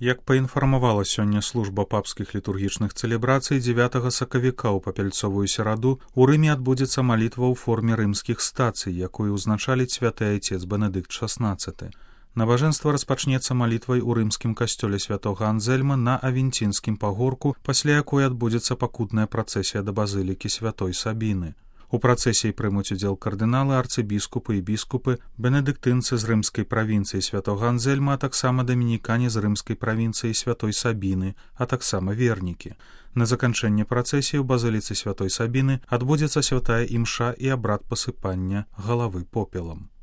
Як паінфармавала сёння служба папскіх літургічных цэлебрацый, 9 сакавіка ў папяльцовую сераду у Рыме адбудзецца малітва ў форме рымскіх стацый, якую ўзначаліць святы айцец Бенедыкт XVI. Набажэнства распачнецца малітвай у рымскім касцёле святога Анзельма на Авенцінскім пагорку, пасля якой адбудзецца пакутная працэсія да базылікі святой Сабіны. У працэсіі прымуць удзел кардыналы, арцыбіскупы і біскупы, бенедыктынцы з рымскай правінцыі святога Анзельма, а таксама дамінікане з рымскай правінцыі святой Сабіны, а таксама вернікі. На заканчэнне працэсіі ў базыліцы святой Сабіны адбудзецца святая імша і абрад пасыпання галавы попелам.